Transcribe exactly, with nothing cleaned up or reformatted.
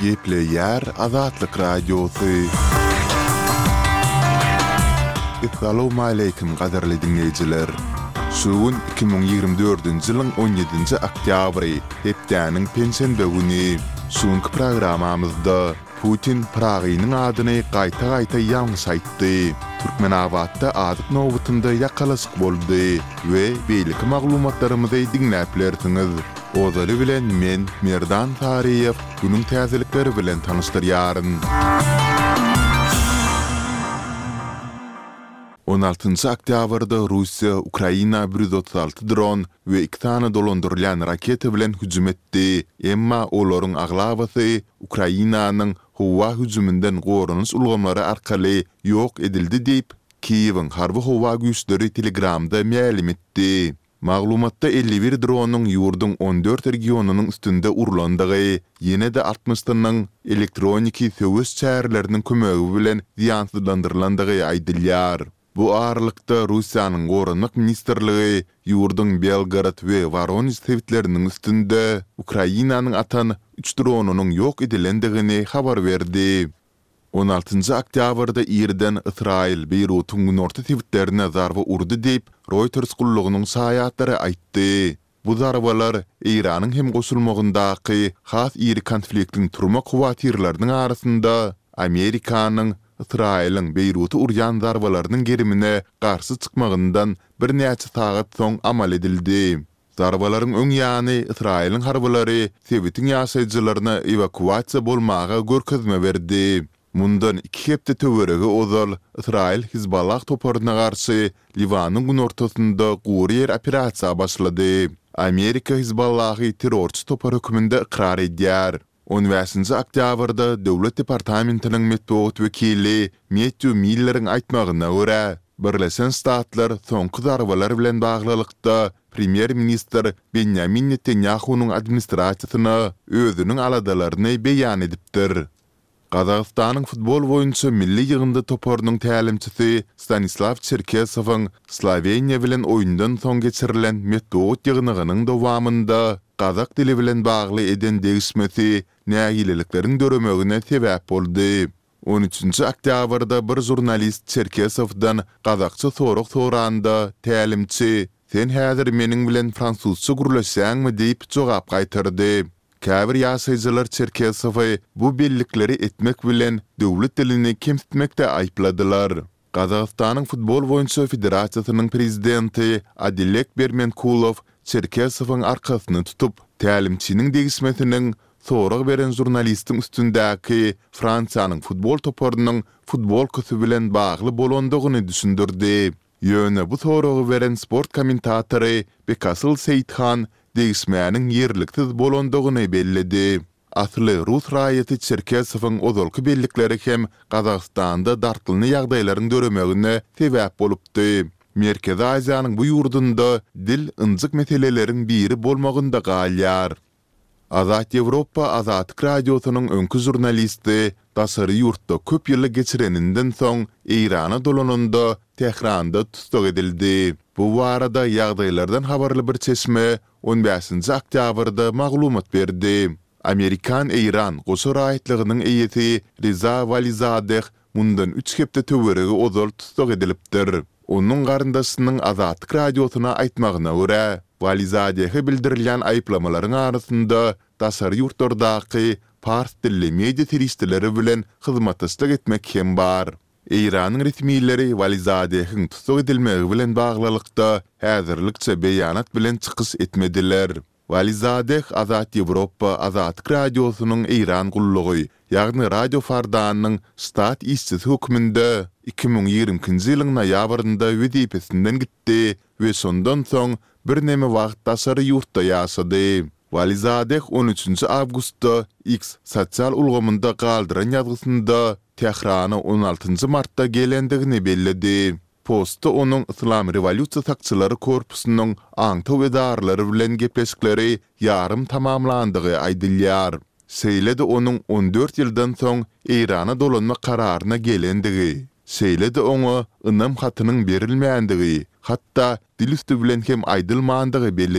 Gepleyer Azatlyk Radiosu. Assalamu alaykum gaderli dinleyijiler. Şuun iki bin ýygrimi dördünji ýylyň on ýedinji oktýabry, hepdäniň pensiýa güni. Şuňky programamyzda Putin Pragynyň adyny gaýta-gaýta ýalňyş aýtdy. Türkmenabadda adyk nowbatynda ýakalasyk boldy we beýleki maglumatlarymyzy dinläplersiňiz. Ozaly bilen men Merdan Tariýew günüň täzelikleri bilen tanışdyrýaryn. on altynjy oktýabrda Russiýa Ukraina bir yüz otuz alty dron we iki tane dolandyrılan raketa bilen hüjüm etdi. Emma olaryň aglabasy Ukrainanyň howa hüjümünden gorunuş ulgamlary arkaly ýok edildi diýip Kiýewiň harby howa güýçleri Telegramda ma'lum etdi. Maglumatda elli bir dronuň ýurduň on dört regionunyň üstünde urulandygy, ýene-de altmışdynyň elektroniki söwüş çäherleriniň kömegi bilen ziýansızlandyrlandygy aýdylýar. Bu aralykda Russiýanyň Gorunluk Ministrligi ýurduň Belgrad we Voronezh sewitleriniň üstünde Ukrainanyň atan üç dronunyň ýok edilendigini habar berdi. on altynjy oktýabrda Irden Israil Beýrutyň günorta sewitlerine zarba urdy diýip Reuters gullugynyň saýatlary aýtdy. Bu zarbalar Iranyň hem goşulmagyndaky has iri konfliktiň turma kuwatirleriniň arasynda Amerikanyň Israiliň Beýruty urýan zarbalarynyň gerimine garşy çykmagyndan bir näçe sagat soň amal edildi. Zarbalaryň öň ýany Israiliň harbalary sewitin ýaşaýjylaryna evakuasiýa bolmaga görkezme berdi. Mundan iki hepde töweregi ozal Israil Hizballah toparyna garşy Liwanyň günortasynda gurýer operasiýa başlady. Amerika Hizballahy terrorçy topar hökmünde ikrar edýär. on beşinji oktýabrda Döwlet Departamentiniň medeniýet wekili Matthew Miller'iň aýtmagyna görä, Birleşen Ştatlar soňky zarbalar bilen baglylykda Premier Minister Benjamin Netanyahu'nyň administrasiýasyna özüniň aladalaryny beýan edipdir. Gazagystanyň futbol boýunça milli ýygynda toparynyň tälimçisi Stanislav Cherkesowyň Sloveniýa bilen oýundan soň geçirilen medeniýet ýygynynyň dowamında Gazak dili bilen bagly eden degişmesi nägilelikleriň döremegine sebäp boldy. on üçinji oktýabrda bir jurnalist Cherkesowdan Gazakça sorag soranda tälimçi "Sen häzir meniň bilen fransuzça gurlaşsaňmy?" diýip jogap gaýtyrdy. Käbir ýaşaýjylar Cherkesowy bu bellikleri etmek bilen döwlet dilini kemsitmekde aýpladylar. Gazagystanyň futbol boýunça federasiýasynyň prezidenti Adilek Bermenkulov Cherkesowyň arkasyny tutup, tälimçiniň degişmesiniň sorag beren jurnalistiň üstündäki Fransiýanyň futbol toparynyň futbol kösü bilen bagly bolandygyny düşündirdi. Ýöne bu soragy beren sport kommentatory Bekasyl Seýithan degişmäniň ýerliksiz bolandygyny bellidi. Asly Rus raýaty Cherkesowyň ozalky bellikleri hem Gazagstanda dartlyny ýagdaýlaryň döremegine sebäp bolupdy. Merkezi Aziýanyň bu ýurdunda dil ınjyk meseleleriň biri bolmagynda galýar. Azat Ýewropa Azatlyk Radiosynyň öňkü jurnalisti daşary ýurtda köp ýyl geçireninden soň Irana dolananda Tehranda tutsak edildi. Bu barada ýagdaýlardan habarly bir çeşme on beşinji oktýabrda maglumat berdi. Amerikan Iran goşa raýatlygynyň eýeti Reza Valizadeh mundan üç hepde töweregi ozal tutsak edilipdir. Onun garyndaşynyň Azatlyk Radiosyna aýtmagyna görä, Valizadehe bildirilýän aýplamalaryň arasynda daşary ýurtlardaky fars dilli media teristleri bilen hyzmatdaşlyk etmek hem bar. Iranyň resmiýetleri Valizadehiň tutsak edilmegi bilen baglylykda häzirlikçe beýanat bilen çykyş etmediler. Valizadeh Azat Ýewropa Azatlyk Radiosynyň Iran gullugy, ýagny radio fardanyň stat işçisi hökmünde iki bin ýigrimkinji ýylyň noýabrynda wezipesinden gitdi we şondan soň bir näme wagt daşary ýurtda ýaşady. Valizadeh on üçinji awgustda X sosial ulgamynda galdyran ýazgysynda Tehrany on altynjy martda gelendigini bellidi. Postda onuň Islam Revolýusiýa sakçylary korpusynyň aňtaw edarlary bilen gepleşikleri ýarym tamamlandygy aýdylýar. Seýledi onuň on dört ýyldan soň Irana dolanma kararyna gelendigi. Seýledi oňa ynam hatynyň berilmäändigi, hatda dil üstü bilen hem aýdylmandygy belli